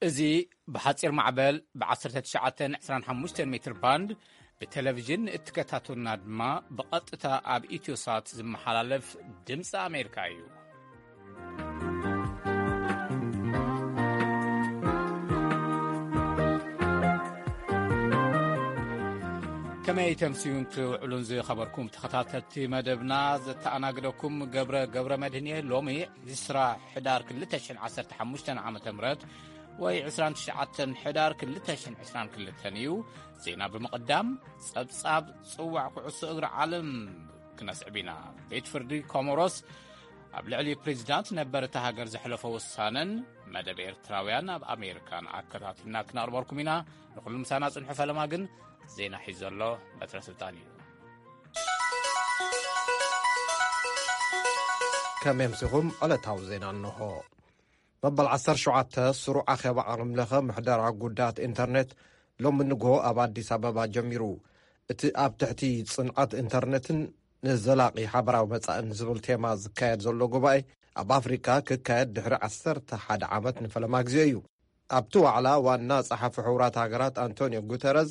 እዚ ብሓጺር ማዕበል ብ19 25 ሜትር ባንድ ብቴሌቪዥን እትከታተሉና ድማ ብቐጥታ ኣብ ኢትዮሳት ዝመሓላለፍ ድምፂ ኣሜሪካ እዩ። ከመይ ተምስዩን ትውዕሉን ዝኸበርኩም ተኸታተልቲ መደብና፣ ዘተኣናግደኩም ገብረ ገብረ መድህን እየ። ሎሚ ዕስራ ሕዳር ክልተ ሽሕን ዓሰርተ ሓሙሽተን ዓመተ ምህረት ወይ ዕስራን ትሽዓተን ሕዳር ክልተ ሽሕን ዕስራን ክልተን እዩ። ዜና ብምቕዳም፣ ጸብጻብ ጽዋዕ ኩዕሶ እግሪ ዓለም ክነስዕብ ኢና። ቤት ፍርዲ ኮሞሮስ ኣብ ልዕሊ ፕሬዚዳንት ነበር እታ ሃገር ዘሕለፎ ውሳነን መደብ ኤርትራውያን ኣብ ኣሜሪካን ኣከታቲልና ክነቕርበልኩም ኢና። ንኹሉ ምሳና ጽንሑ። ፈለማ ግን ዜና ሒዙ ዘሎ በትረ ስልጣን እዩ። ከመይ ኣምሲኹም? ዕለታዊ ዜና እንሆ። መበል ዓሰርተ ሸውዓተ ስሩዕ ኣኼባ ዓለም ለኸ ምሕደራ ጉዳያት ኢንተርኔት ሎሚ ንግሆ ኣብ ኣዲስ ኣበባ ጀሚሩ። እቲ ኣብ ትሕቲ ጽንዓት ኢንተርኔትን ንዘላቒ ሓበራዊ መጻእን ዝብል ቴማ ዝካየድ ዘሎ ጉባኤ፣ ኣብ ኣፍሪካ ክካየድ ድሕሪ ዓሰርተ ሓደ ዓመት ንፈለማ ግዜ እዩ። ኣብቲ ዋዕላ ዋና ጸሓፊ ሕቡራት ሃገራት ኣንቶኒዮ ጉተረዝ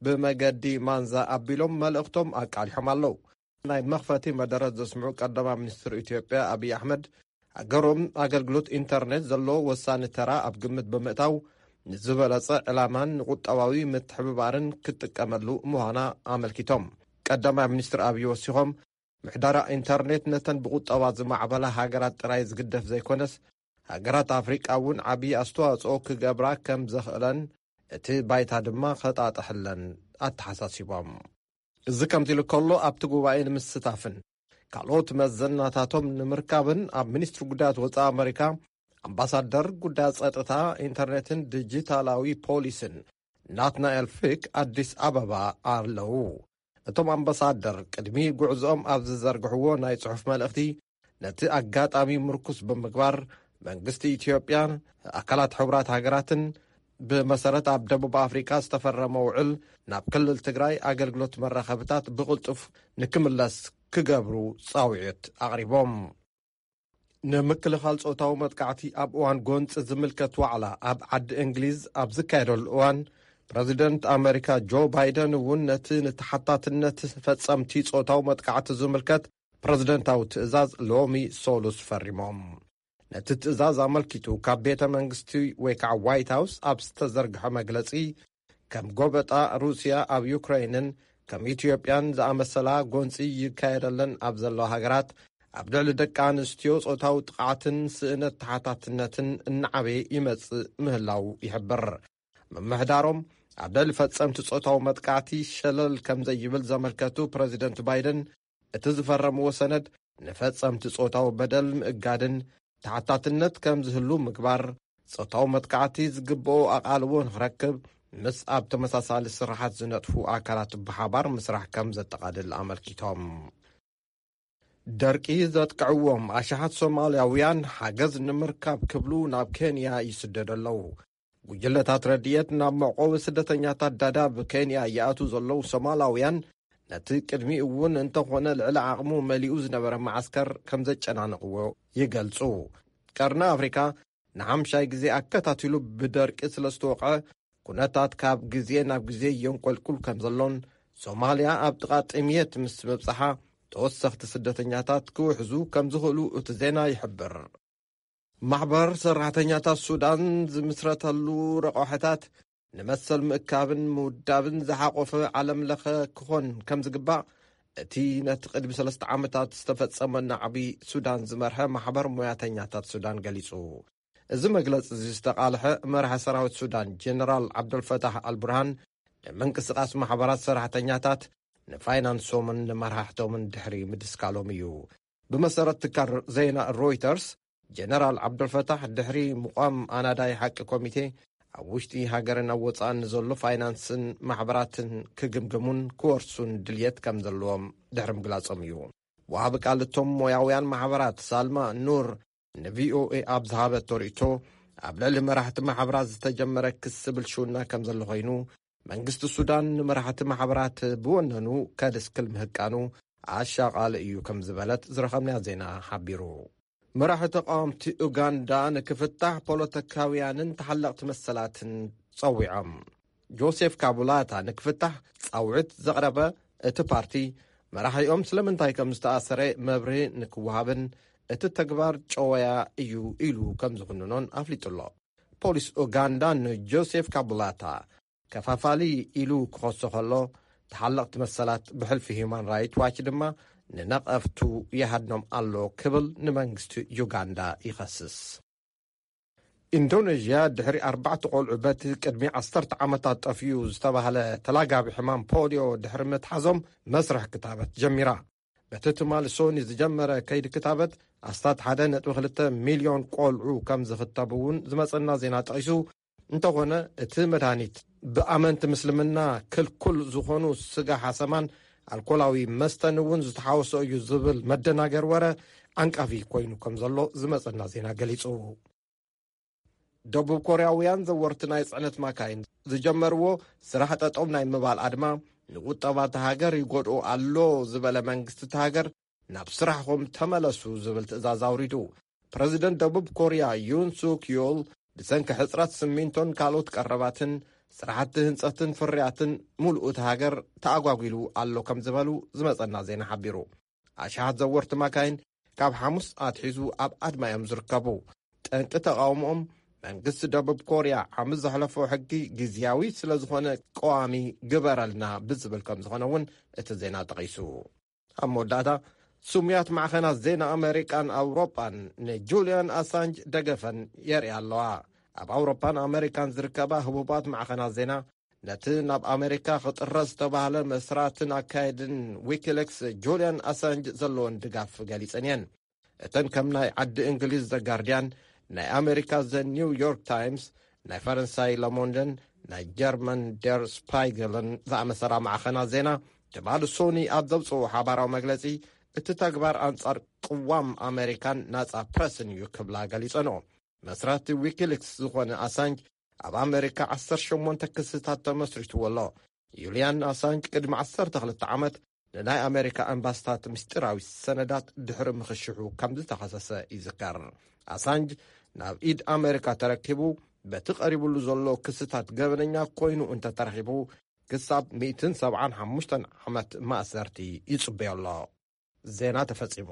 ብመገዲ ማንዛ ኣቢሎም መልእኽቶም ኣቃሊሖም ኣለዉ። ናይ መኽፈቲ መደረት ዘስምዑ ቀዳማይ ሚኒስትር ኢትዮጵያ ኣብይ ኣሕመድ፣ ሃገሮም ኣገልግሎት ኢንተርኔት ዘለዎ ወሳኒ ተራ ኣብ ግምት ብምእታው፣ ንዝበለጸ ዕላማን ንቁጠባዊ ምትሕብባርን ክትጥቀመሉ ምዃና ኣመልኪቶም። ቀዳማይ ሚኒስትር ኣብይ ወሲኾም፣ ምሕደራ ኢንተርኔት ነተን ብቁጠባ ዝማዕበላ ሃገራት ጥራይ ዝግደፍ ዘይኮነስ፣ ሃገራት ኣፍሪቃ እውን ዓብዪ ኣስተዋጽኦ ክገብራ ከም ዘኽእለን፣ እቲ ባይታ ድማ ከጣጥሕለን ኣተሓሳሲቦም። እዚ ከምዚ ኢሉ ከሎ፣ ኣብቲ ጉባኤ ንምስታፍን ካልኦት መዘናታቶም ንምርካብን ኣብ ሚኒስትሪ ጉዳያት ወጻኢ ኣመሪካ ኣምባሳደር ጉዳያት ጸጥታ፣ ኢንተርኔትን ዲጂታላዊ ፖሊስን ናትናኤል ፊክ ኣዲስ ኣበባ ኣለዉ። እቶም ኣምባሳደር ቅድሚ ጉዕዞኦም ኣብ ዝዘርግሕዎ ናይ ጽሑፍ መልእኽቲ፣ ነቲ ኣጋጣሚ ምርኩስ ብምግባር፣ መንግስቲ ኢትዮጵያን ኣካላት ሕቡራት ሃገራትን ብመሰረት ኣብ ደቡብ ኣፍሪካ ዝተፈረመ ውዕል፣ ናብ ክልል ትግራይ ኣገልግሎት መራኸብታት ብቕልጡፍ ንክምለስ ክገብሩ ጻውዒት ኣቕሪቦም። ንምክልኻል ጾታዊ መጥቃዕቲ ኣብ እዋን ጎንፂ ዝምልከት ዋዕላ ኣብ ዓዲ እንግሊዝ ኣብ ዝካየደሉ እዋን፣ ፕረዚደንት ኣመሪካ ጆ ባይደን እውን ነቲ ንተሓታትነት ፈጸምቲ ጾታዊ መጥቃዕቲ ዝምልከት ፕረዚደንታዊ ትእዛዝ ሎሚ ሶሉስ ፈሪሞም። ነቲ ትእዛዝ ኣመልኪቱ ካብ ቤተ መንግስቲ ወይ ከዓ ዋይት ሃውስ ኣብ ዝተዘርግሐ መግለጺ፣ ከም ጎበጣ ሩስያ ኣብ ዩክሬንን ከም ኢትዮጵያን ዝኣመሰላ ጎንፂ ይካየደለን ኣብ ዘለዋ ሃገራት፣ ኣብ ልዕሊ ደቂ ኣንስትዮ ጾታዊ ጥቕዓትን ስእነት ተሓታትነትን እናዓበየ ይመጽእ ምህላው ይሕብር። ምምሕዳሮም ኣብ ልዕሊ ፈጸምቲ ጾታዊ መጥቃዕቲ ሸለል ከም ዘይብል ዘመልከቱ ፕረዚደንት ባይደን፣ እቲ ዝፈረምዎ ሰነድ ንፈጸምቲ ጾታዊ በደል ምእጋድን ተሓታትነት ከም ዝህሉ ምግባር፣ ጾታዊ መጥቃዕቲ ዝግብኦ ኣቓልቦ ንኽረክብ፣ ምስ ኣብ ተመሳሳሊ ስራሓት ዝነጥፉ ኣካላት ብሓባር ምስራሕ ከም ዘጠቓልል ኣመልኪቶም። ደርቂ ዘጥቅዕዎም ኣሽሓት ሶማልያውያን ሓገዝ ንምርካብ ክብሉ ናብ ኬንያ ይስደዱ ኣለዉ። ጉጅለታት ረድኤት ናብ መዕቆቢ ስደተኛታት ዳዳብ ኬንያ ይኣትዉ ዘለዉ ሶማላውያን፣ ነቲ ቅድሚ እውን እንተኾነ ልዕሊ ዓቕሙ መሊኡ ዝነበረ መዓስከር ከም ዘጨናነቕዎ ይገልጹ። ቀርኒ ኣፍሪካ ንሓምሻይ ግዜ ኣከታቲሉ ብደርቂ ስለ ዝተወቕዐ፣ ኩነታት ካብ ግዜ ናብ ግዜ የንቆልቁል ከም ዘሎን፣ ሶማልያ ኣብ ጥቓ ጥምየት ምስ ምብጽሓ፣ ተወሰኽቲ ስደተኛታት ክውሕዙ ከም ዝኽእሉ እቲ ዜና ይሕብር። ማሕበር ሰራሕተኛታት ሱዳን ዝምስረተሉ ረቋሕታት ንመሰል ምእካብን ምውዳብን ዝሓቆፈ ዓለም ለኸ ክኾን ከም ዝግባእ፣ እቲ ነቲ ቅድሚ ሰለስተ ዓመታት ዝተፈጸመ ናዕቢ ሱዳን ዝመርሐ ማሕበር ሞያተኛታት ሱዳን ገሊጹ። እዚ መግለጺ እዚ ዝተቓልሐ መራሒ ሰራዊት ሱዳን ጀነራል ዓብደልፈታሕ ኣልቡርሃን፣ ንምንቅስቓስ ማሕበራት ሰራሕተኛታት፣ ንፋይናንሶምን ንመራሕቶምን ድሕሪ ምድስካሎም እዩ። ብመሰረት ትካል ዜና ሮይተርስ፣ ጀነራል ዓብደልፈታሕ ድሕሪ ምቋም ኣናዳይ ሓቂ ኮሚቴ፣ ኣብ ውሽጢ ሃገርን ኣብ ወጻእን ንዘሎ ፋይናንስን ማሕበራትን ክግምግሙን ክወርሱን ድልየት ከም ዘለዎም ድሕሪ ምግላጾም እዩ። ወሃቢ ቃል እቶም ሞያውያን ማሕበራት ሳልማ ኑር ንቪኦኤ ኣብ ዝሃበቶ ርእይቶ፣ ኣብ ልዕሊ መራሕቲ ማሕበራት ዝተጀመረ ክሲ ብልሽውና ከም ዘሎ ኮይኑ፣ መንግስቲ ሱዳን ንመራሕቲ ማሕበራት ብወነኑ ከድስክል ምህቃኑ ኣሻቓሊ እዩ ከም ዝበለት ዝረኸብናዮ ዜና ሓቢሩ። መራሒ ተቃወምቲ ኡጋንዳ ንክፍታሕ ፖለቲካውያንን ተሓለቕቲ መሰላትን ጸዊዖም። ጆሴፍ ካቡላታ ንክፍታሕ ጻውዒት ዘቕረበ እቲ ፓርቲ፣ መራሒኦም ስለምንታይ ከም ዝተኣሰረ መብርሂ ንክወሃብን እቲ ተግባር ጨወያ እዩ ኢሉ ከም ዝኹንኖን ኣፍሊጡ ኣሎ። ፖሊስ ኡጋንዳ ንጆሴፍ ካቡላታ ከፋፋሊ ኢሉ ክኸሶ ከሎ፣ ተሓለቕቲ መሰላት ብሕልፊ ሂዩማን ራይት ዋች ድማ ንነቐፍቱ ይሃድኖም ኣሎ ክብል ንመንግስቲ ዩጋንዳ ይኸስስ። ኢንዶኔዥያ ድሕሪ ኣርባዕተ ቆልዑ በቲ ቅድሚ ዓሰርተ ዓመታት ጠፍዩ ዝተባህለ ተላጋቢ ሕማም ፖሊዮ ድሕሪ ምትሓዞም መስርሕ ክታበት ጀሚራ። በቲ ትማሊ ሶኒ ዝጀመረ ከይዲ ክታበት ኣስታት ሓደ ነጥቢ ክልተ ሚልዮን ቆልዑ ከም ዝኽተቡ እውን ዝመጸና ዜና ጠቒሱ፣ እንተኾነ እቲ መድሃኒት ብኣመንቲ ምስልምና ክልኩል ዝኾኑ ስጋ ሓሰማን ኣልኮላዊ መስተን እውን ዝተሓወሶ እዩ ዝብል መደናገር ወረ ዓንቃፊ ኮይኑ ከም ዘሎ ዝመጸና ዜና ገሊጹ። ደቡብ ኮርያውያን ዘወርቲ ናይ ጽዕነት ማካይን ዝጀመርዎ ስራሕ ጠጠው ናይ ምባል ኣድማ ንቁጠባ እታ ሃገር ይጎድኦ ኣሎ ዝበለ መንግስቲ እታ ሃገር፣ ናብ ስራሕኹም ተመለሱ ዝብል ትእዛዝ ኣውሪዱ። ፕረዚደንት ደቡብ ኮርያ ዩን ሱክ ዮል ብሰንኪ ሕጽረት ስሚንቶን ካልኦት ቀረባትን ስራሕቲ ህንጸትን ፍርያትን ሙሉእ እታ ሃገር ተኣጓጒሉ ኣሎ ከም ዝበሉ ዝመጸና ዜና ሓቢሩ። ኣሽሓት ዘወርቲ ማካይን ካብ ሓሙስ ኣትሒዙ ኣብ ኣድማ እዮም ዝርከቡ። ጠንቂ ተቓውሞኦም መንግስቲ ደቡብ ኮርያ ዓመት ዘሕለፎ ሕጊ ግዝያዊ ስለ ዝኾነ ቀዋሚ ግበረልና ብዝብል ከም ዝኾነ እውን እቲ ዜና ጠቒሱ። ኣብ መወዳእታ፣ ስሙያት ማዕኸናት ዜና ኣመሪካን ኣውሮጳን ንጁልያን ኣሳንጅ ደገፈን የርእያ ኣለዋ። ኣብ ኣውሮጳን ኣመሪካን ዝርከባ ህቡባት ማዕኸናት ዜና ነቲ ናብ ኣመሪካ ክጥረዝ ዝተባህለ መስራትን ኣካየድን ዊኪሊክስ ጁልያን ኣሳንጅ ዘለወን ድጋፍ ገሊጸን እየን። እተን ከም ናይ ዓዲ እንግሊዝ ዘ ጋርዲያን፣ ናይ ኣመሪካ ዘ ኒው ዮርክ ታይምስ፣ ናይ ፈረንሳይ ለሞንደን ናይ ጀርመን ደር ስፓይገልን ዝኣመሰላ ማዕኸናት ዜና፣ ትማሊ ሶኒ ኣብ ዘውፅኡ ሓባራዊ መግለፂ፣ እቲ ተግባር ኣንጻር ቅዋም ኣመሪካን ናጻ ፕረስን እዩ ክብላ ገሊጸንኦ። መስራቲ ዊኪሊክስ ዝኾነ ኣሳንጅ ኣብ ኣመሪካ ዓሰርተ ሸሞንተ ክስታት ተመስሪትዎ ኣሎ። ዩልያን ኣሳንጅ ቅድሚ ዓሰርተ ክልተ ዓመት ንናይ ኣመሪካ ኣምባስታት ምስጢራዊ ሰነዳት ድሕሪ ምኽሽሑ ከም ዝተኸሰሰ ይዝከር። ኣሳንጅ ናብ ኢድ ኣመሪካ ተረኪቡ በቲ ቀሪቡሉ ዘሎ ክስታት ገበነኛ ኮይኑ እንተተረኺቡ ክሳብ ሚእትን ሰብዓን ሓሙሽተን ዓመት ማእሰርቲ ይጽበዮ ኣሎ። ዜና ተፈጺሙ።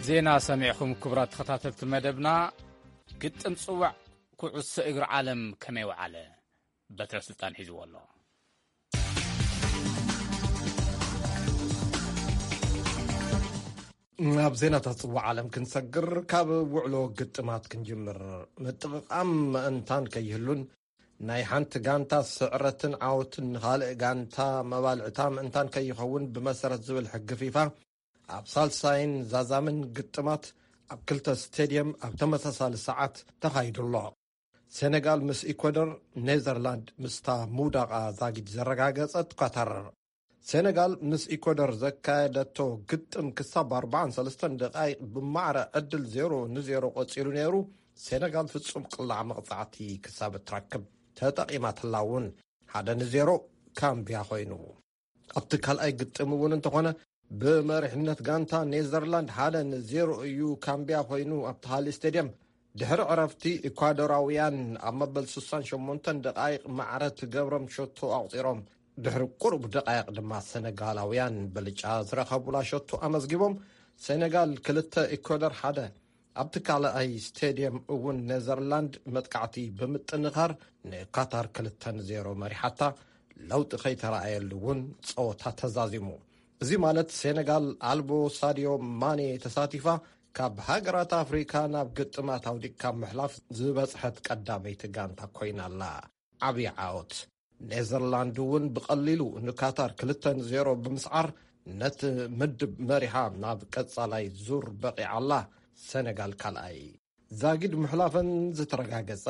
ዜና ሰሚዕኹም ክቡራት ተኸታተልቲ መደብና። ግጥም ጽዋዕ ኩዕሶ እግሪ ዓለም ከመይ ወዓለ? በትረ ስልጣን ሒዝዎ ኣሎ። ናብ ዜናታት ጽዋዕ ዓለም ክንሰግር፣ ካብ ውዕሎ ግጥማት ክንጅምር። ምጥቕቓም ምእንታን ከይህሉን ናይ ሓንቲ ጋንታ ስዕረትን ዓወትን ንኻልእ ጋንታ መባልዕታ ምእንታን ከይኸውን ብመሰረት ዝብል ሕጊ ፊፋ፣ ኣብ ሳልሳይን ዛዛምን ግጥማት ኣብ ክልተ ስቴድየም ኣብ ተመሳሳሊ ሰዓት ተኻይዱ ኣሎ። ሴኔጋል ምስ ኢኳዶር፣ ኔዘርላንድ ምስታ ምውዳቓ ዛጊድ ዘረጋገጸት ኳታር። ሴኔጋል ምስ ኢኳዶር ዘካየደቶ ግጥም ክሳብ ኣርባዓን ሰለስተን ደቃይቕ ብማዕረ ዕድል ዜሮ ንዜሮ ቀጺሉ ነይሩ። ሴኔጋል ፍጹም ቅላዕ መቕጻዕቲ ክሳብ እትረክብ ተጠቒማትላ እውን ሓደ ንዜሮ ካምብያ ኮይኑ። ኣብቲ ካልኣይ ግጥም እውን እንተኾነ ብመሪሕነት ጋንታ ኔዘርላንድ ሓደ ንዜሮ እዩ ካምብያ ኮይኑ ኣብቲ ካልእ ስቴድየም። ድሕሪ ዕረፍቲ ኢኳዶራውያን ኣብ መበል ስሳን ሸሞንተን ደቃይቕ ማዕረ ትገብሮም ሸቶ ኣቑጺሮም። ድሕሪ ቁሩብ ደቃይቕ ድማ ሰነጋላውያን ብልጫ ዝረኸቡላ ሸቶ ኣመዝጊቦም። ሴኔጋል ክልተ፣ ኢኳዶር ሓደ። ኣብቲ ካልኣይ ስቴድየም እውን ኔዘርላንድ መጥቃዕቲ ብምጥንኻር ንካታር ክልተ ንዜሮ መሪሓታ። ለውጢ ከይተረኣየሉ እውን ጸወታ ተዛዚሙ። እዚ ማለት ሴኔጋል ኣልቦ ሳድዮ ማኔ ተሳቲፋ ካብ ሃገራት ኣፍሪካ ናብ ግጥማት ኣውዲቅካ ምሕላፍ ዝበጽሐት ቀዳመይቲ ጋንታ ኮይና ኣላ። ዓብዪ ዓወት። ኔዘርላንድ እውን ብቐሊሉ ንካታር ክልተ ንዜሮ ብምስዓር ነቲ ምድብ መሪሓ ናብ ቀጻላይ ዙር በቒዓ ኣላ። ሴኔጋል ካልኣይ። ዛጊድ ምሕላፈን ዝተረጋገጸ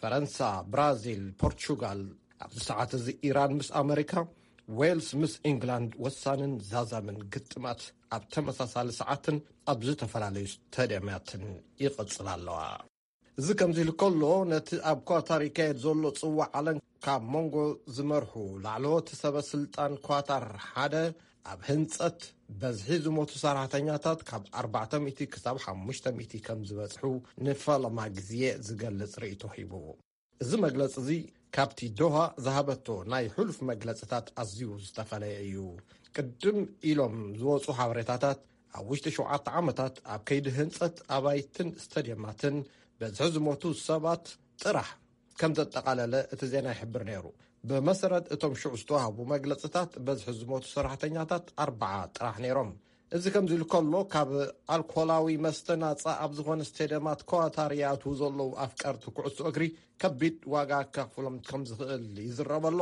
ፈረንሳ፣ ብራዚል፣ ፖርቹጋል፣ ኣብዚ ሰዓት እዚ ኢራን ምስ ኣመሪካ፣ ዌልስ ምስ ኢንግላንድ ወሳንን ዛዛምን ግጥማት ኣብ ተመሳሳሊ ሰዓትን ኣብ ዝተፈላለዩ ስታድያማትን ይቕጽላ ኣለዋ። እዚ ከምዚ ኢሉ ከሎ፣ ነቲ ኣብ ኳታር ይካየድ ዘሎ ጽዋዕ ዓለም ካብ መንጎ ዝመርሑ ላዕለዎት ሰበ ስልጣን ኳታር ሓደ፣ ኣብ ህንጸት በዝሒ ዝሞቱ ሰራሕተኛታት ካብ ኣርባዕተ ሚእቲ ክሳብ ሓሙሽተ ሚእቲ ከም ዝበጽሑ ንፈለማ ግዜ ዝገልጽ ርእይቶ ሂቡ። እዚ መግለጺ እዚ ካብቲ ዶሃ ዝሃበቶ ናይ ሕሉፍ መግለጽታት ኣዝዩ ዝተፈለየ እዩ። ቅድም ኢሎም ዝወጹ ሓበሬታታት፣ ኣብ ውሽጢ ሸውዓተ ዓመታት ኣብ ከይዲ ህንጸት ኣባይትን ስታድየማትን በዝሒ ዝሞቱ ሰባት ጥራሕ ከም ዘጠቓለለ እቲ ዜና ይሕብር ነይሩ። ብመሰረት እቶም ሽዑ ዝተዋህቡ መግለጽታት፣ በዝሒ ዝሞቱ ሰራሕተኛታት ኣርባዓ ጥራሕ ነይሮም። እዚ ከምዚ ኢሉ ከሎ፣ ካብ ኣልኮላዊ መስተ ናጻ ኣብ ዝኾነ ስቴድየማት ኳታር ይኣትዉ ዘለዉ ኣፍቀርቲ ኩዕሶ እግሪ ከቢድ ዋጋ ከኽፍሎም ከም ዝኽእል ይዝረብ ኣሎ።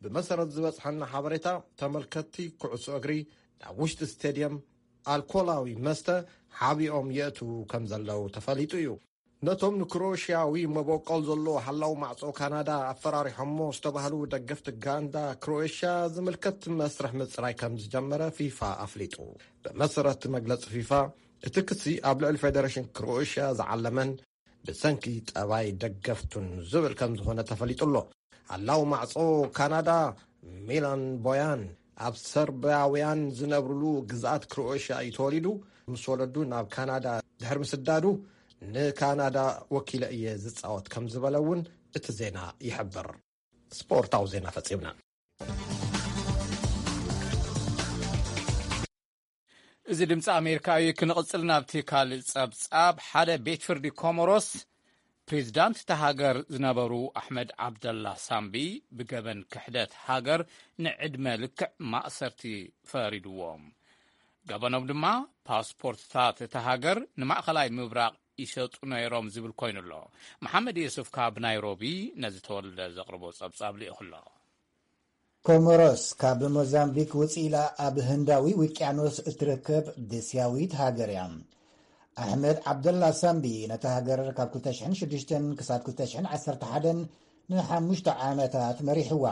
ብመሰረት ዝበጽሐና ሓበሬታ፣ ተመልከትቲ ኩዕሶ እግሪ ናብ ውሽጢ ስቴድየም ኣልኮላዊ መስተ ሓቢኦም የእትዉ ከም ዘለዉ ተፈሊጡ እዩ። ነቶም ንክሮኤሽያዊ መበቆል ዘለዎ ሓላው ማዕጾ ካናዳ ኣፈራሪሖሞ ዝተባህሉ ደገፍቲ ጋንዳ ክሮኤሽያ ዝምልከት መስርሕ ምጽራይ ከም ዝጀመረ ፊፋ ኣፍሊጡ። ብመሰረት መግለጺ ፊፋ፣ እቲ ክሲ ኣብ ልዕሊ ፌደሬሽን ክሮኤሽያ ዝዓለመን ብሰንኪ ጠባይ ደገፍቱን ዝብል ከም ዝኾነ ተፈሊጡ ኣሎ። ሓላው ማዕጾ ካናዳ ሚላን ቦያን ኣብ ሰርቢያውያን ዝነብርሉ ግዝኣት ክሮኤሽያ እዩ ተወሊዱ። ምስ ወለዱ ናብ ካናዳ ድሕሪ ምስዳዱ፣ ንካናዳ ወኪለ እየ ዝጻወት ከም ዝበለ እውን እቲ ዜና ይሕብር። ስፖርታዊ ዜና ፈጺምና። እዚ ድምፂ ኣሜሪካ እዩ። ክንቕፅል ናብቲ ካልእ ጸብጻብ። ሓደ ቤት ፍርዲ ኮሞሮስ፣ ፕሬዚዳንት እታ ሃገር ዝነበሩ ኣሕመድ ዓብደላ ሳምቢ ብገበን ክሕደት ሃገር ንዕድመ ልክዕ ማእሰርቲ ፈሪድዎም። ገበኖም ድማ ፓስፖርትታት እታ ሃገር ንማእኸላይ ምብራቕ ይሸጡ ነይሮም ዝብል ኮይኑ ኣሎ። መሓመድ የሱፍ ካብ ናይሮቢ ነዚ ተወልደ ዘቕርቦ ጸብጻብ ልኢኹ ኣሎ። ኮሞሮስ ካብ ሞዛምቢክ ውጽእ ኢላ ኣብ ህንዳዊ ውቅያኖስ እትርከብ ደስያዊት ሃገር እያ። ኣሕመድ ዓብደላ ሳምቢ ነታ ሃገር ካብ ክልተ ሽሕን ሽዱሽተን ክሳብ ክልተ ሽሕን ዓሰርተ ሓደን ንሓሙሽተ ዓመታት መሪሕዋ።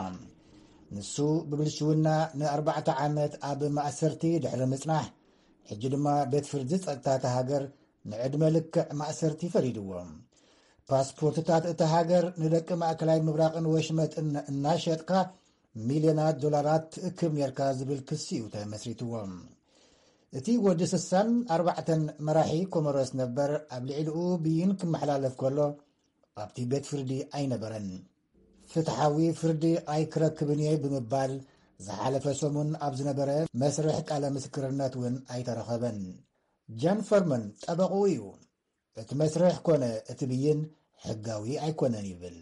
ንሱ ብብልሽውና ንኣርባዕተ ዓመት ኣብ ማእሰርቲ ድሕሪ ምጽናሕ፣ ሕጂ ድማ ቤት ፍርዲ ጸጥታ እታ ሃገር ንዕድመ ልክዕ ማእሰርቲ ፈሪድዎ። ፓስፖርትታት እታ ሃገር ንደቂ ማእከላይ ምብራቕን ወሽመጥን እናሸጥካ ሚልዮናት ዶላራት ትእክብ ኔርካ ዝብል ክሲ እዩ ተመስሪትዎ። እቲ ወዲ ስሳን ኣርባዕተን መራሒ ኮሞሮስ ነበር ኣብ ልዕሊኡ ብይን ክመሓላለፍ ከሎ ኣብቲ ቤት ፍርዲ ኣይነበረን። ፍትሓዊ ፍርዲ ኣይክረክብን እየ ብምባል ዝሓለፈ ሰሙን ኣብ ዝነበረ መስርሕ ቃለ ምስክርነት እውን ኣይተረኸበን። ጃን ፈርመን ጠበቕኡ እዩ። እቲ መስርሕ ኮነ እቲ ብይን ሕጋዊ ኣይኮነን ይብል።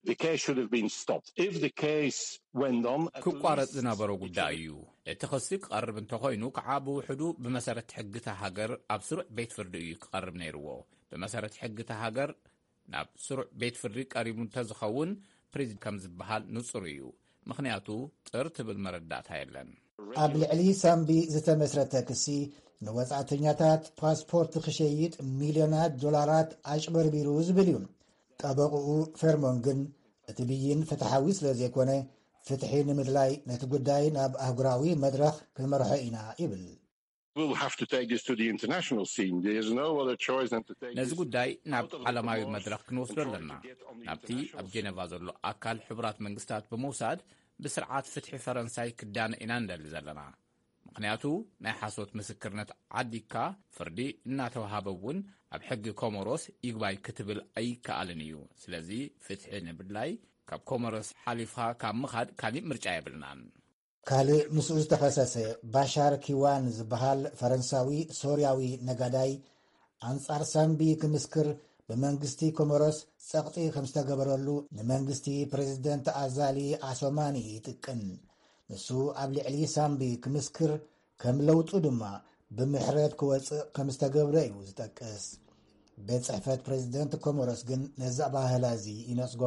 The case should have been stopped. If the case went on, at ክቋረጽ least ዝነበሮ it ጉዳይ should እዩ። እቲ ክሲ ክቐርብ እንተኾይኑ ከዓ ብውሕዱ ብመሰረት ሕግታ ሃገር ኣብ ስሩዕ ቤት ፍርዲ እዩ ክቐርብ ነይርዎ። ብመሰረት ሕግታ ሃገር ናብ ስሩዕ ቤት ፍርዲ ቀሪቡ እንተዝኸውን ፕሬዚደንት ከም ዝበሃል ንጹር እዩ። ምኽንያቱ ጥር ትብል መረዳእታ የለን። ኣብ ልዕሊ ሳምቢ ዝተመስረተ ክሲ ንወጻእተኛታት ፓስፖርት ክሸይጥ ሚልዮናት ዶላራት ኣጭበርቢሩ ዝብል እዩ። ጠበቕኡ ፌርሞን ግን እቲ ብይን ፍትሓዊ ስለ ዘይኮነ ፍትሒ ንምድላይ ነቲ ጉዳይ ናብ ኣህጉራዊ መድረኽ ክንመርሖ ኢና ይብል። We'll have to take this to the international scene. There's no other choice than to take ነዚ this ጉዳይ ናብ ዓለማዊ መድረኽ ክንወስዶ ኣለና። ናብቲ ኣብ ጀነቫ ዘሎ ኣካል ሕቡራት መንግስታት ብምውሳድ ብስርዓት ፍትሒ ፈረንሳይ ክዳነ ኢና እንደሊ ዘለና። ምኽንያቱ ናይ ሓሶት ምስክርነት ዓዲካ ፍርዲ እናተዋሃበ እውን ኣብ ሕጊ ኮሞሮስ ይግባይ ክትብል ኣይከኣልን እዩ። ስለዚ ፍትሒ ንምድላይ ካብ ኮሞሮስ ሓሊፍካ ካብ ምኻድ ካሊእ ምርጫ የብልናን። ካልእ ምስኡ ዝተኸሰሰ ባሻር ኪዋን ዝበሃል ፈረንሳዊ ሶርያዊ ነጋዳይ ኣንጻር ሳምቢ ክምስክር ብመንግስቲ ኮሞሮስ ጸቕጢ ከም ዝተገበረሉ ንመንግስቲ ፕሬዚደንት ኣዛሊ ኣሶማኒ ይጥቅን። ንሱ ኣብ ልዕሊ ሳምቢ ክምስክር ከም ለውጡ ድማ ብምሕረት ክወጽእ ከም ዝተገብረ እዩ ዝጠቅስ። ቤት ጽሕፈት ፕሬዚደንት ኮሞሮስ ግን ነዚ ኣባህላ እዚ ይነጽጎ።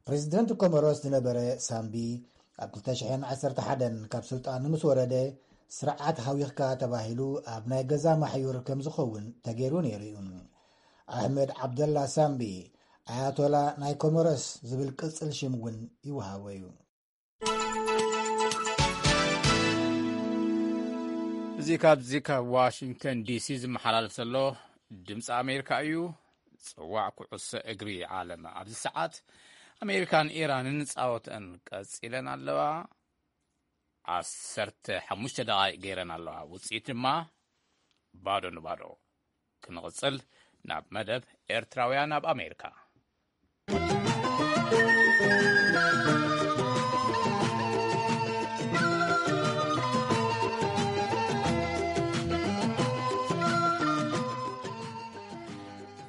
ፕሬዚደንት ኮሞሮስ ዝነበረ ሳምቢ ኣብ ክልተ ሽሕን ዓሰርተ ሓደን ካብ ስልጣኑ ምስ ወረደ ስርዓት ሃዊኽካ ተባሂሉ ኣብ ናይ ገዛ ማሕዩር ከም ዝኸውን ተገይሩ ነይሩ እዩ። ኣሕመድ ዓብደላ ሳምቢ ኣያቶላ ናይ ኮሞሮስ ዝብል ቅጽል ሽም እውን ይወሃቦ እዩ። እዚ ካብዚ ካብ ዋሽንግተን ዲሲ ዝመሓላለፍ ዘሎ ድምፂ ኣሜሪካ እዩ። ጽዋዕ ኩዕሶ እግሪ ዓለም ኣብዚ ሰዓት ኣሜሪካን ኢራንን ጻወተን ቀጺለን ኣለዋ። ዓሰርተ ሓሙሽተ ደቓይቕ ገይረን ኣለዋ። ውጽኢት ድማ ባዶ ንባዶ። ክንቕጽል ናብ መደብ ኤርትራውያን ኣብ ኣሜሪካ።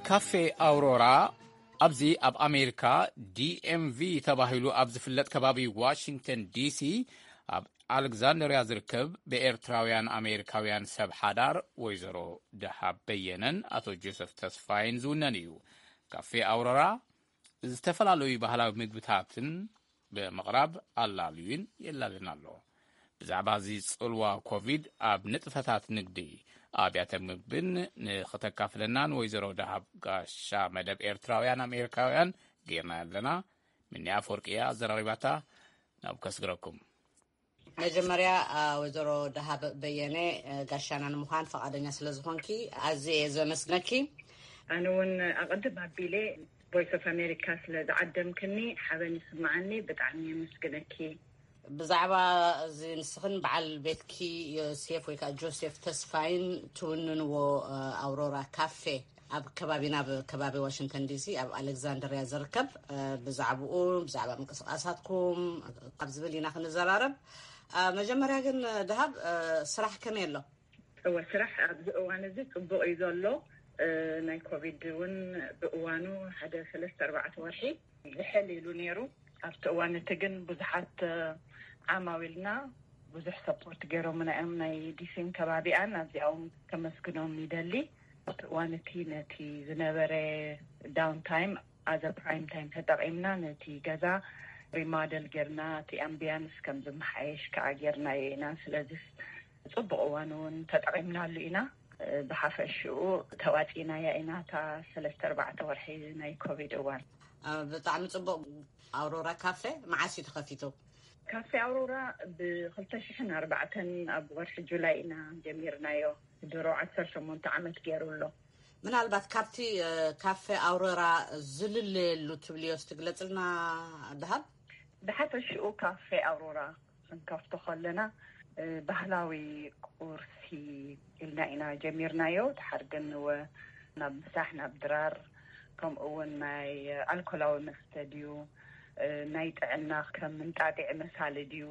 ካፌ ኣውሮራ ኣብዚ ኣብ ኣሜሪካ ዲ ኤም ቪ ተባሂሉ ኣብ ዝፍለጥ ከባቢ ዋሽንግተን ዲ ሲ ኣብ ኣሌክዛንደርያ ዝርከብ ብኤርትራውያን ኣሜሪካውያን ሰብ ሓዳር ወይዘሮ ደሃብ በየነን ኣቶ ጆሰፍ ተስፋይን ዝውነን እዩ። ካፌ ኣውሮራ ዝተፈላለዩ ባህላዊ ምግብታትን ብምቕራብ ኣላልዩን የላልን ኣሎ። ብዛዕባ እዚ ጽልዋ ኮቪድ ኣብ ንጥፈታት ንግዲ ኣብያተ ምግብን ንኽተካፍለናን ወይዘሮ ደሃብ ጋሻ መደብ ኤርትራውያን ኣሜሪካውያን ጌርና ኣለና። ምኒ ኣፈወርቂ እያ ኣዘራሪባታ። ናብ ከስግረኩም። መጀመርያ፣ አ፣ ወይዘሮ ደሃብ በየነ፣ አ፣ ጋሻና ንምዃን ፈቓደኛ ስለ ዝኾንኪ ኣዝየ እየ ዘመስግነኪ። ኣነ እውን ኣቐድም ኣቢለ ቮይስ ኦፍ ኣሜሪካ ስለ ዝዓደምክኒ ሓበን ይስምዓኒ። ብጣዕሚ የመስግነኪ። ብዛዕባ እዚ ንስኽን በዓል ቤትኪ ዮሴፍ ወይ ከዓ ጆሴፍ ተስፋይን ትውንንዎ፣ አ፣ ኣውሮራ ካፌ ኣብ ከባቢና፣ ኣብ ከባቢ ዋሽንግተን ዲ ሲ ኣብ ኣሌክዛንድርያ ዝርከብ፣ አ፣ ብዛዕባኡ፣ ብዛዕባ ምንቅስቃሳትኩም ካብ ዝብል ኢና ክንዘራረብ። አ፣ መጀመርያ ግን ደሃብ፣ አ፣ ስራሕ ከመይ ኣሎ? እወ፣ ስራሕ ኣብዚ እዋን እዚ ጽቡቕ እዩ ዘሎ። እ፣ ናይ ኮቪድ እውን ብእዋኑ ሓደ ሰለስተ ኣርባዕተ ወርሒ ዝሕል ኢሉ ነይሩ። ኣብቲ እዋን እቲ ግን ብዙሓት፣ እ፣ ዓማዊልና ብዙሕ ሰፖርት ገይሮምና እዮም፣ ናይ ዲሲን ከባቢኣን። ኣብዚኣኦም ከመስግኖም ይደሊ። ኣብቲ እዋን እቲ ነቲ ዝነበረ ዳውን ታይም ኣዘ ፕራይም ታይም ተጠቒምና ነቲ ገዛ ሪማደል ጌርና፣ እቲ ኣምቢያንስ ከም ዝመሓየሽ ከዓ ጌርናዮ ኢና። ስለዚ ጽቡቕ እዋን እውን ተጠቒምናሉ ኢና። ብሓፈሽኡ ተዋጺናያ ኢና እታ ሰለስተ ኣርባዕተ ወርሒ ናይ ኮቪድ እዋን። አ፣ ብጣዕሚ ጽቡቕ። ኣውሮራ ካፌ መዓስ እዩ ተኸፊቱ? ካፌ ኣውሮራ ብ ክልተ ሽሕን ኣርባዕተን ኣብ ወርሒ ጁላይ ኢና ጀሚርናዮ። ድሮ ዓሰርተ ሸሞንተ ዓመት ገይሩ ኣሎ። ምናልባት ካብቲ፣ እ፣ ካፌ ኣውሮራ ዝልለየሉ ትብልዮስ ትግለጽልና ደሃብ? ብሓፈሽኡ ካፌ ኣውሮራ ክንከፍቶ ከለና፣ እ፣ ባህላዊ ቁርሲ ኢልና ኢና ጀሚርናዮ። ድሓር ግን ወ-፣ ናብ ምሳሕ፣ ናብ ድራር፣ ከምኡ እውን ናይ ኣልኮላዊ መስተ ድዩ፣ እ፣ ናይ ጥዕና ከም እንጣጢዕ መሳሊ ድዩ፣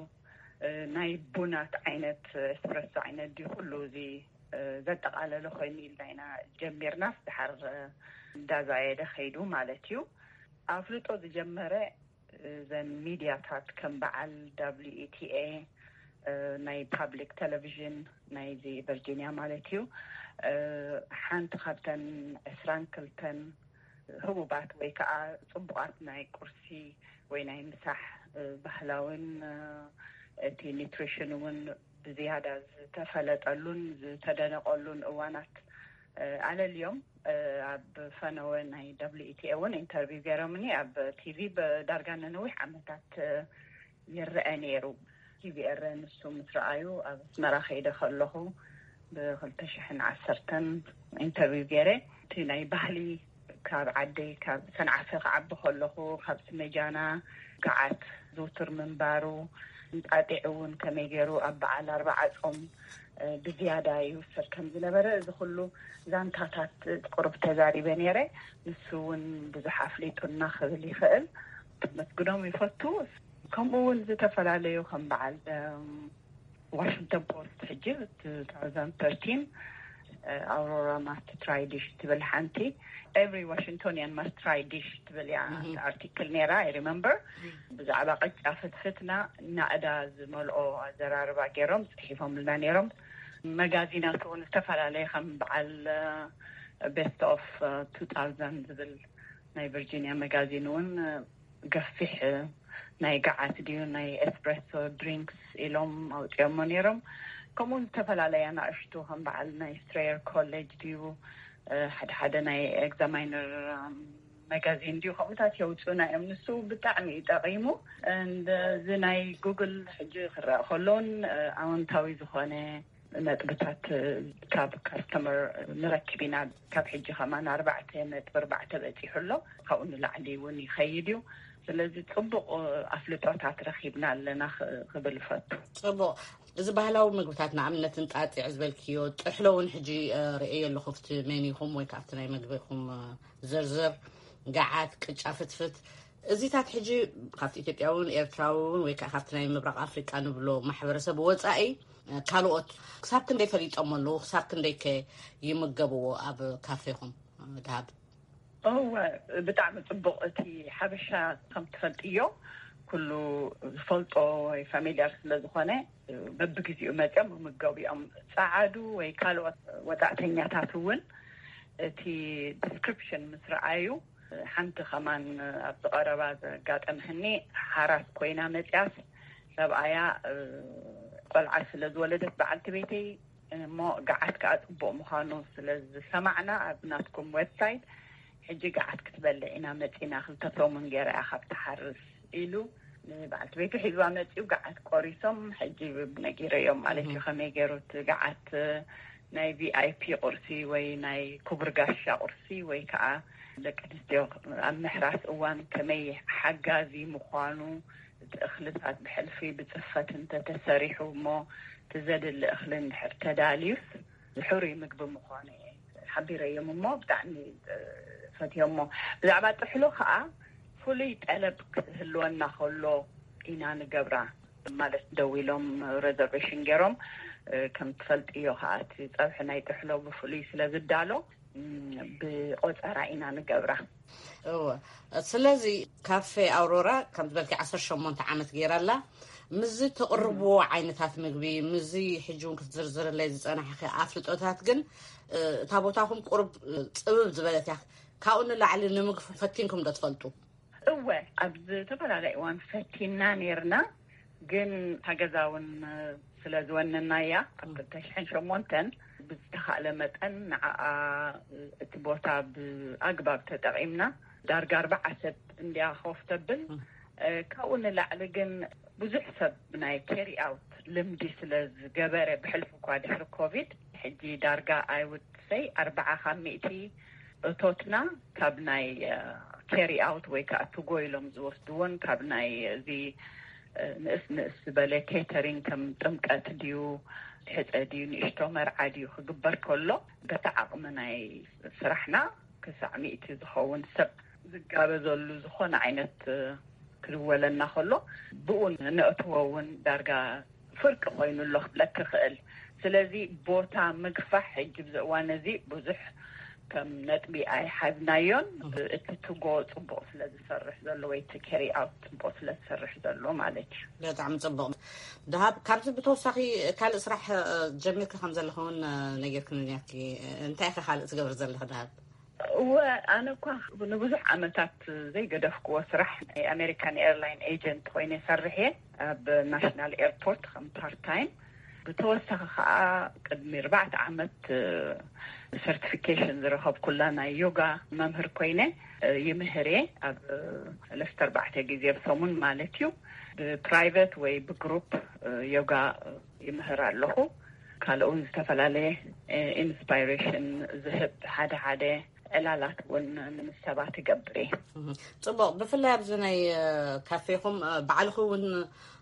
እ፣ ናይ ቡናት ዓይነት፣ ኤስፕረሶ ዓይነት ድዩ፣ ኩሉ እዚ፣ እ፣ ዘጠቓለለ ኮይኑ ኢልና ኢና ጀሚርናስ፣ ድሓር፣ እ፣ እንዳዛየደ ከይዱ ማለት እዩ። ኣፍልጦ ዝጀመረ እዘን ሚድያታት ከም በዓል ደብሊው ኢ ቲ ኤ፣ እ፣ ናይ ፓብሊክ ቴሌቪዥን ናይዚ ቨርጂንያ ማለት እዩ፣ እ፣ ሓንቲ ካብተን ዕስራን ክልተን ህቡባት ወይ ከዓ ጽቡቓት ናይ ቁርሲ ወይ ናይ ምሳሕ፣ እ፣ ባህላውን፣ እ፣ እቲ ኒትሪሽን እውን ብዝያዳ ዝተፈለጠሉን ዝተደነቐሉን እዋናት፣ እ፣ ኣለልዮም፣ እ፣ ኣብ ፈነወ ናይ ደብሊው ኢ ቲ ኤ እውን ኢንተርቪው ገይሮምኒ። ኣብ ቲ ቪ ብዳርጋ ንነዊሕ ዓመታት፣ እ፣ ይረአ ነይሩ። ቲ ቪ ኤረ ንሱ ምስ ረኣዩ ኣብ ኣስመራ ከይደ ከለኹ ብ ክልተ ሽሕን ዓሰርተን ኢንተርቪው ገይረ። እቲ ናይ ባህሊ ካብ ዓደይ፣ ካብ ሰንዓፈ ክዓቢ ከለኹ፣ ካብ ስመጃና ገዓት ዝውቱር ምንባሩ፣ እንጣጢዕ እውን ከመይ ገይሩ ኣብ በዓል ኣርብዓ ጾም፣ እ፣ ብዝያዳ ይውሰድ ከም ዝነበረ፣ እዚ ኩሉ ዛንታታት ቁሩብ ተዛሪበ ነይረ። ንሱ እውን ብዙሕ ኣፍሊጡና ክብል ይኽእል። ክመስግኖም ይፈቱ። ከምኡ እውን ዝተፈላለዩ ከም በዓል፣ እም፣ ዋሽንግተን ፖስት ሕጂ two thousand thirteen፣ እ፣ ኣውሮራ ማስት ትራይ ዲሽ ትብል ሓንቲ፣ ኤቭሪ ዋሽንግቶኒያን ማስት ትራይ ዲሽ ትብል እያ፣ እም፣ ኣርቲክል ነይራ፣ I remember። እም። ብዛዕባ ቅጫ ፍትፍትና ናእዳ ዝመልኦ ኣዘራርባ ገይሮም ጽሒፎምልና ነይሮም። መጋዚናት እውን ዝተፈላለየ ከም በዓል፣ እ፣ ቤስት ኦፍ፣ እ፣ two thousand ዝብል ናይ ቨርጂኒያ መጋዚን እውን፣ እ፣ ገፊሕ፣ እ፣ ናይ ገዓት ድዩ ናይ ኤስፕሬሶ ድሪንክስ ኢሎም ኣውፂኦሞ ነይሮም። ከምኡ ዝተፈላለየ ኣናእሽቱ ከም በዓል ናይ ስትሬየር ኮሌጅ ድዩ፣ እ፣ ሓደ ሓደ ናይ ኤግዛማይነር፣ እም፣ መጋዚን ድዩ ከምኡታት የውፅኡና እዮም። ንሱ ብጣዕሚ እዩ ጠቒሙ። እንደ እዚ ናይ ጉግል ሕጂ ክረአ ከሎን፣ እ፣ ኣወንታዊ ዝኾነ ነጥብታት ካብ ካስተመር ንረክብ ኢና። ካብ ሕጂ ከማን ኣርባዕተ ነጥቢ ኣርባዕተ በፂሑ ኣሎ። ካብኡ ንላዕሊ እውን ይኸይድ እዩ። ስለዚ ፅቡቕ ኣፍልጦታት ረኺብና ኣለና ክብል እፈቱ። ፅቡቕ። እዚ ባህላዊ ምግብታት ንኣብነት እንጣጢዕ ዝበልክዮ ጥሕሎ እውን ሕጂ ርእየ ኣለኹ ኣብቲ ሜኒኹም ወይ ካብቲ ናይ ምግቢኹም ዝርዝር። ገዓት፣ ቅጫ ፍትፍት፣ እዚታት ሕጂ ካብቲ ኢትዮጵያውን ኤርትራውን ወይ ከዓ ካብቲ ናይ ምብራቕ ኣፍሪቃ ንብሎ ማሕበረሰብ ወፃኢ ካልኦት ክሳብ ክንደይ ፈሊጦም ኣለዉ? ክሳብ ክንደይ ከ ይምገብዎ ኣብ ካፌኹም? ድሃብ እወ፣ ብጣዕሚ ፅቡቕ። እቲ ሓበሻ ከም ትፈልጥዮ ኩሉ ዝፈልጦ ወይ ፋሚልያር ስለ ዝኾነ በብግዜኡ መፅኦም ምምገቡ እዮም። ፀዓዱ ወይ ካልኦት ወፃእተኛታት እውን እቲ ዲስክሪፕሽን ምስ ረኣዩ፣ ሓንቲ ከማን ኣብዚ ቀረባ ዘጋጠመኒ ሓራስ ኮይና መፅያስ ሰብኣያ ቆልዓ ስለ ዝወለደት በዓልቲ ቤተይ እሞ ገዓት ከዓ ፅቡቅ ምዃኑ ስለ ዝሰማዕና ኣብ ናትኩም ዌብሳይት ሕጂ ገዓት ክትበልዕ ኢና መፂና ክልተ ሰሙን ገይራ እያ ካብ ትሓርስ ኢሉ ንበዓልቲ ቤቱ ሒዝዋ መፂኡ ገዓት ቆሪሶም ሕጂ ነጊረዮም ማለት እዩ ከመይ ገይሩ እቲ ገዓት ናይ ቪኣይፒ ቁርሲ ወይ ናይ ክቡር ጋሻ ቁርሲ ወይ ከዓ ደቂ ኣንስትዮ ኣብ ምሕራስ እዋን ከመይ ሓጋዚ ምዃኑ እቲ እኽልታት ብሕልፊ ብፅፈት እንተተሰሪሑ እሞ እቲ ዘድሊ እኽሊ እንድሕር ተዳልዩስ ሕሩይ ምግቢ ምዃኑ እየ ሓቢረዮም እሞ ብጣዕሚ ፈትዮሞ። ብዛዕባ ጥሕሎ ከዓ ፍሉይ ጠለብ ክህልወና ከሎ ኢና ንገብራ ማለት ደው ኢሎም ሬዘርቬሽን ገይሮም ከም ትፈልጥዮ ከዓ እቲ ፀብሒ ናይ ጥሕሎ ብፍሉይ ስለ ዝዳሎ ብቆፀራ ኢና ንገብራ። እወ። ስለዚ ካፌ ኣውሮራ ከም ዝበልኪ ዓሰርተ ሸሞንተ ዓመት ገይራ ኣላ። ምስዚ ትቕርብዎ ዓይነታት ምግቢ ምስዚ ሕጂ እውን ክትዝርዝርለይ ዝፀናሕኪ ኣፍልጦታት ግን እታ ቦታኹም ቁሩብ ፅብብ ዝበለት እያ። ካብኡ ንላዕሊ ንምግፉ ፈቲንኩም ዶ ትፈልጡ? እወ፣ ኣብ ዝተፈላለየ እዋን ፈቲና ነይርና፣ ግን እታ ገዛ እውን ስለ ዝወነናያ ኣብ ክልተ ሽሕን ሸሞንተን ብዝተኻእለ መጠን ንዓኣ እቲ ቦታ ብኣግባብ ተጠቒምና ዳርጋ ኣርባዓ ሰብ እንድያ ኮፍ ተብል። ካብኡ ንላዕሊ ግን ብዙሕ ሰብ ናይ ኬሪ ኣውት ልምዲ ስለ ዝገበረ ብሕልፊ እኳ ድሕሪ ኮቪድ ሕጂ ዳርጋ ኣይውድ ሰይ ኣርባዓ ካብ ሚእቲ እቶትና ካብ ናይ ኬሪ ኣውት ወይ ከዓ ቱጎ ኢሎም ዝወስድዎን ካብ ናይ እዚ ንእስ ንእስ ዝበለ ኬተሪንግ ከም ጥምቀት ድዩ ሕፀ ድዩ ንእሽቶ መርዓ ድዩ ክግበር ከሎ በቲ ዓቕሚ ናይ ስራሕና ክሳዕ ሚእቲ ዝኸውን ሰብ ዝጋበዘሉ ዝኾነ ዓይነት ክድወለና ከሎ ብኡ ነእትዎ እውን ዳርጋ ፍርቂ ኮይኑ ኣሎ ክብለክ ይኽእል። ስለዚ ቦታ ምግፋሕ ሕጂ ብዚ እዋን እዚ ብዙሕ ከም ነጥቢ ኣይሓዝናዮን። እቲ ትጎ ፅቡቕ ስለ ዝሰርሕ ዘሎ ወይ እቲ ኬሪ ኣውት ፅቡቕ ስለ ዝሰርሕ ዘሎ ማለት እዩ። ብጣዕሚ ፅቡቕ። ደሃብ፣ ካብዚ ብተወሳኺ ካልእ ስራሕ ጀሚርኪ ከም ዘለኹ እውን ነጊርክኒ ነርኪ። እንታይ ኢኺ ካልእ ትገብሪ ዘለኺ ደሃብ? እወ፣ ኣነ እኳ ንብዙሕ ዓመታት ዘይገደፍክዎ ስራሕ ናይ ኣሜሪካን ኤርላይን ኤጀንት ኮይነ ይሰርሕ እየ ኣብ ናሽናል ኤርፖርት ከም ፓርት ታይም። ብተወሳኺ ከዓ ቅድሚ ኣርባዕተ ዓመት ሰርቲፊኬሽን ዝረኸብኩላ ናይ ዮጋ መምህር ኮይነ ይምህር እየ ኣብ ሰለስተ ኣርባዕተ ግዜ ኣብ ሰሙን ማለት እዩ። ብፕራይቨት ወይ ብግሩፕ ዮጋ ይምህር ኣለኹ። ካልእ እውን ዝተፈላለየ ኢንስፓይሬሽን ዝህብ ሓደ ሓደ ዕላላት እውን ንምሰባት ይገብር እየ። ፅቡቕ። ብፍላይ ኣብዚ ናይ ካፌኹም ባዕልኺ እውን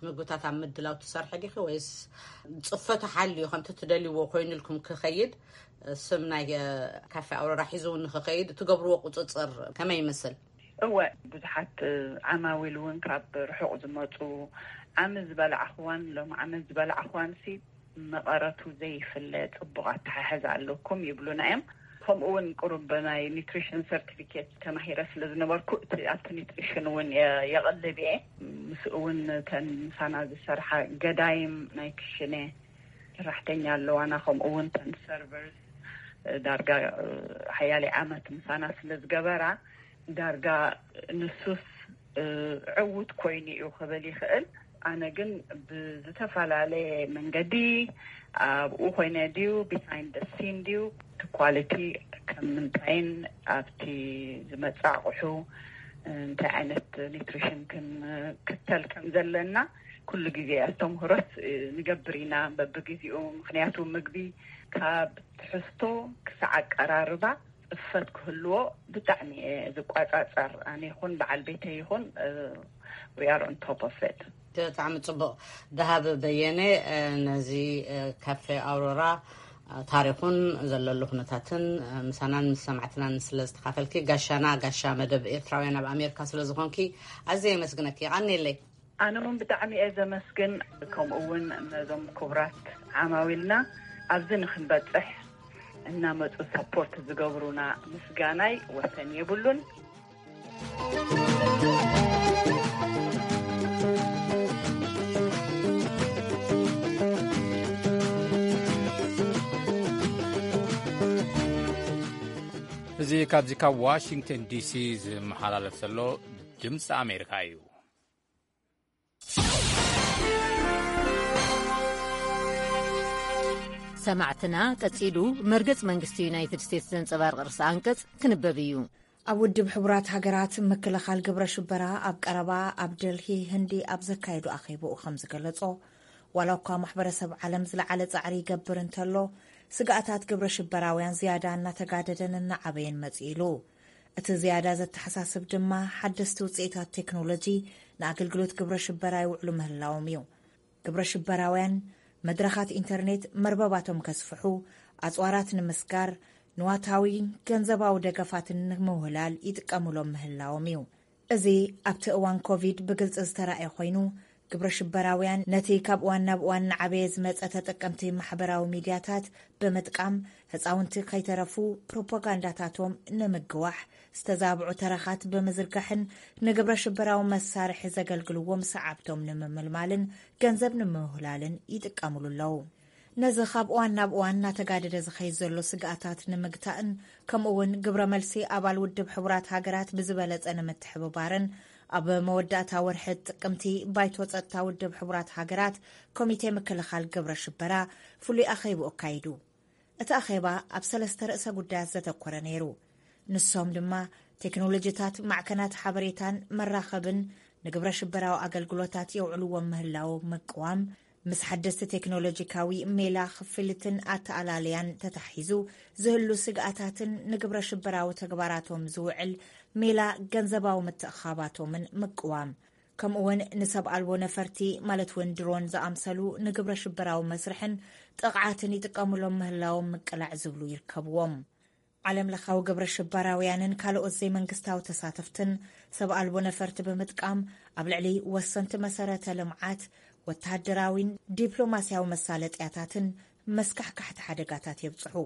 ምግብታት ኣብ ምድላው ትሰርሒ ዲኺ ወይስ ፅፈቱ ሓልዩ ከምቲ ትደልይዎ ኮይኑልኩም ክኸይድ ስም ናይ ካፌ ኣውሮራ ሒዙ እውን ንክኸይድ ትገብርዎ ቁፅፅር ከመይ ይመስል? እወ፣ ብዙሓት ዓማዊል እውን ካብ ርሑቕ ዝመፁ ዓሚ ዝበላዕኽዋን ሎም ዓሚ ዝበላዕኽዋን ሲ መቐረቱ ዘይፍለ ፅቡቕ ኣተሓሕዛ ኣለኩም ይብሉና እዮም። ከምኡ እውን ቁሩብ ናይ ኒትሪሽን ሰርቲፊኬት ተማሂረ ስለ ዝነበርኩ እቲ ኣብቲ ኒትሪሽን እውን የቐልብ እየ። ምስኡ እውን እተን ምሳና ዝሰርሓ ገዳይም ናይ ክሽነ ሰራሕተኛ ኣለዋና፣ ከምኡ እውን እተን ሰርቨርስ ዳርጋ ሓያለይ ዓመት ምሳና ስለ ዝገበራ ዳርጋ ንሱስ ዕዉት ኮይኑ እዩ ክብል ይኽእል። ኣነ ግን ብዝተፈላለየ መንገዲ ኣብኡ ኮይነ ድዩ ቢሃይንድ ሲን ድዩ እቲ ኳሊቲ ከም ምንታይን ኣብቲ ዝመፅእ ኣቑሑ እንታይ ዓይነት ኒትሪሽን ክንክተል ከም ዘለና ኩሉ ግዜ ኣስተምህሮት ንገብር ኢና በብግዜኡ። ምክንያቱ ምግቢ ካብ ትሕዝቶ ክሳዕ ኣቀራርባ ጽፈት ክህልዎ ብጣዕሚ እየ ዝቋጻጸር። ኣነ ይኹን በዓል ቤተይ ይኹን we are on top of it። ብጣዕሚ ጽቡቕ። ደሃብ በየነ ነዚ ካፌ ኣውሮራ ታሪኹን ዘለሉ ኩነታትን ምሳናን ምስ ሰማዕትናን ስለ ዝተኻፈልኪ፣ ጋሻና፣ ጋሻ መደብ ኤርትራውያን ኣብ ኣሜሪካ ስለ ዝኾንኪ ኣዝየ የመስግነኪ። የቐንየለይ። ኣነ እውን ብጣዕሚ እየ ዘመስግን። ከምኡ እውን ነዞም ክቡራት ዓማዊልና ኣብዚ ንክንበፅሕ እናመፁ ሰፖርት ዝገብሩና ምስጋናይ ወሰን የብሉን። እዚ ካብዚ ካብ ዋሽንግተን ዲሲ ዝመሓላለፍ ዘሎ ድምፂ ኣሜሪካ እዩ። ሰማዕትና፣ ቀጺሉ መርገጽ መንግስቲ ዩናይትድ ስቴትስ ዘንጸባርቕ ርእሰ ኣንቀጽ ክንበብ እዩ። ኣብ ውድብ ሕቡራት ሃገራት ምክልኻል ግብረ ሽበራ ኣብ ቀረባ ኣብ ደልሂ ህንዲ ኣብ ዘካየዱ ኣኼባኡ ከም ዝገለጾ፣ ዋላ እኳ ማሕበረሰብ ዓለም ዝለዓለ ጻዕሪ ይገብር እንተሎ፣ ስግኣታት ግብረ ሽበራውያን ዝያዳ እናተጋደደን እናዓበየን መጺኡ ኢሉ። እቲ ዝያዳ ዘተሓሳስብ ድማ ሓደስቲ ውፅኢታት ቴክኖሎጂ ንኣገልግሎት ግብረ ሽበራ ይውዕሉ ምህላዎም እዩ። ግብረ ሽበራውያን መድረኻት ኢንተርኔት መርበባቶም ከስፍሑ፣ ኣፅዋራት ንምስጋር፣ ንዋታዊ ገንዘባዊ ደገፋትን ንምውህላል ይጥቀሙሎም ምህላዎም እዩ። እዚ ኣብቲ እዋን ኮቪድ ብግልፂ ዝተራእየ ኮይኑ፣ ግብረ ሽበራውያን ነቲ ካብ እዋን ናብ እዋን እናዓበየ ዝመፀ ተጠቀምቲ ማሕበራዊ ሚድያታት ብምጥቃም፣ ህፃውንቲ ከይተረፉ ፕሮፓጋንዳታቶም ንምግዋሕ ዝተዛብዑ ተረኻት ብምዝርጋሕን ንግብረ ሽበራዊ መሳርሒ ዘገልግልዎም ሰዓብቶም ንምምልማልን ገንዘብ ንምውህላልን ይጥቀምሉ ኣለዉ። ነዚ ካብ እዋን ናብ እዋን እናተጋደደ ዝኸይድ ዘሎ ስግኣታት ንምግታእን ከምኡ እውን ግብረ መልሲ ኣባል ውድብ ሕቡራት ሃገራት ብዝበለፀ ንምትሕብባርን ኣብ መወዳእታ ወርሒ ጥቅምቲ ባይቶ ፀጥታ ውድብ ሕቡራት ሃገራት ኮሚቴ ምክልኻል ግብረ ሽበራ ፍሉይ ኣኼብኡ ኣካይዱ። እቲ ኣኼባ ኣብ ሰለስተ ርእሰ ጉዳያት ዘተኮረ ነይሩ። ንሶም ድማ ቴክኖሎጂታት ማዕከናት ሓበሬታን መራኸብን ንግብረ ሽበራዊ ኣገልግሎታት የውዕልዎም ምህላዎም ምቅዋም፣ ምስ ሓደስቲ ቴክኖሎጂካዊ ሜላ ክፍልትን ኣተኣላልያን ተታሒዙ ዝህሉ ስግኣታትን ንግብረ ሽበራዊ ተግባራቶም ዝውዕል ሜላ ገንዘባዊ ምትእኻባቶምን ምቅዋም፣ ከምኡ እውን ንሰብ ኣልቦ ነፈርቲ ማለት እውን ድሮን ዝኣምሰሉ ንግብረ ሽበራዊ መስርሕን ጥቕዓትን ይጥቀሙሎም ምህላዎም ምቅላዕ ዝብሉ ይርከብዎም። ዓለም ለኻዊ ግብረ ሽበራውያንን ካልኦት ዘይመንግስታዊ ተሳተፍትን ሰብ ኣልቦ ነፈርቲ ብምጥቃም ኣብ ልዕሊ ወሰንቲ መሰረተ ልምዓት፣ ወተሃደራዊን ዲፕሎማስያዊ መሳለጥያታትን መስካሕካሕቲ ሓደጋታት የብፅሑ።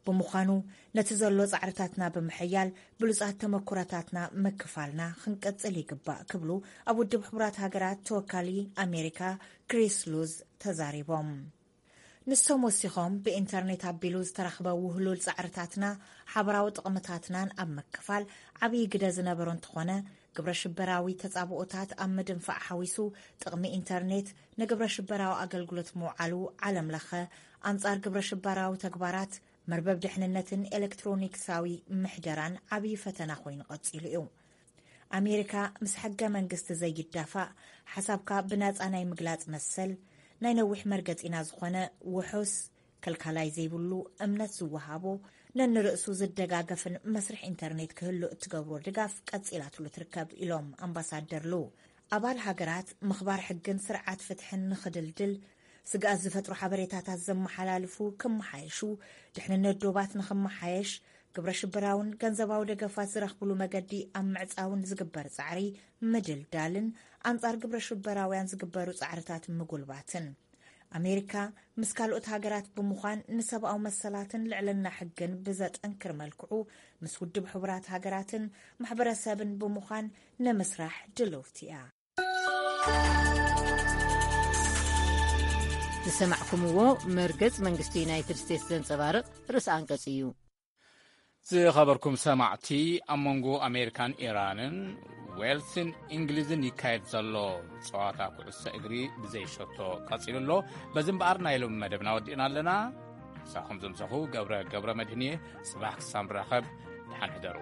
ብምዃኑ ነቲ ዘሎ ፃዕርታትና ብምሕያል ብሉፃት ተመኩረታትና ምክፋልና ክንቅፅል ይግባእ ክብሉ ኣብ ውድብ ሕቡራት ሃገራት ተወካሊ ኣሜሪካ ክሪስ ሉዝ ተዛሪቦም። ንሶም ወሲኾም ብኢንተርኔት ኣቢሉ ዝተረኽበ ውህሉል ፃዕርታትና ሓበራዊ ጥቕምታትናን ኣብ ምክፋል ዓብዪ ግደ ዝነበሮ እንተኾነ፣ ግብረ ሽበራዊ ተፃብኦታት ኣብ ምድንፋዕ ሓዊሱ ጥቕሚ ኢንተርኔት ንግብረ ሽበራዊ ኣገልግሎት ምውዓሉ ዓለም ለኸ ኣንፃር ግብረ ሽበራዊ ተግባራት መርበብ ድሕንነትን ኤሌክትሮኒክሳዊ ምሕደራን ዓብዪ ፈተና ኮይኑ ቀፂሉ እዩ። ኣሜሪካ ምስ ሕገ መንግስቲ ዘይዳፋእ ሓሳብካ ብናፃ ናይ ምግላፅ መሰል ናይ ነዊሕ መርገፂና ዝኾነ ውሑስ ከልካላይ ዘይብሉ እምነት ዝወሃቦ ነንርእሱ ዝደጋገፍን መስርሕ ኢንተርኔት ክህሉ እትገብሮ ድጋፍ ቀፂላትሉ ትርከብ ኢሎም ኣምባሳደር ሉ። ኣባል ሃገራት ምኽባር ሕግን ስርዓት ፍትሕን ንኽድልድል ስግኣት ዝፈጥሩ ሓበሬታታት ዘመሓላልፉ ክመሓየሹ፣ ድሕንነት ዶባት ንኽመሓየሽ፣ ግብረ ሽበራውን ገንዘባዊ ደገፋት ዝረኽብሉ መገዲ ኣብ ምዕፃውን ዝግበር ፃዕሪ ምድልዳልን ኣንፃር ግብረ ሽበራውያን ዝግበሩ ፃዕርታት ምጉልባትን ኣሜሪካ ምስ ካልኦት ሃገራት ብምዃን ንሰብኣዊ መሰላትን ልዕልና ሕግን ብዘጠንክር መልክዑ ምስ ውድብ ሕቡራት ሃገራትን ማሕበረሰብን ብምዃን ንምስራሕ ድልውቲ እያ። ዝሰማዕኩምዎ መርገጽ መንግስቲ ዩናይትድ ስቴትስ ዘንጸባርቕ ርእሰ ኣንቀጽ እዩ። ዝኸበርኩም ሰማዕቲ፣ ኣብ መንጎ ኣሜሪካን ኢራንን ዌልስን እንግሊዝን ይካየድ ዘሎ ጸዋታ ኩዕሶ እግሪ ብዘይ ሸቶ ቀጺሉ ኣሎ። በዚ እምበኣር ናይ ሎሚ መደብና ወዲእና ኣለና። ምሳኹም ዝምሳኹ ገብረ ገብረ መድህን እየ። ጽባሕ ክሳብ ንራኸብ ደሓን ሕደሩ።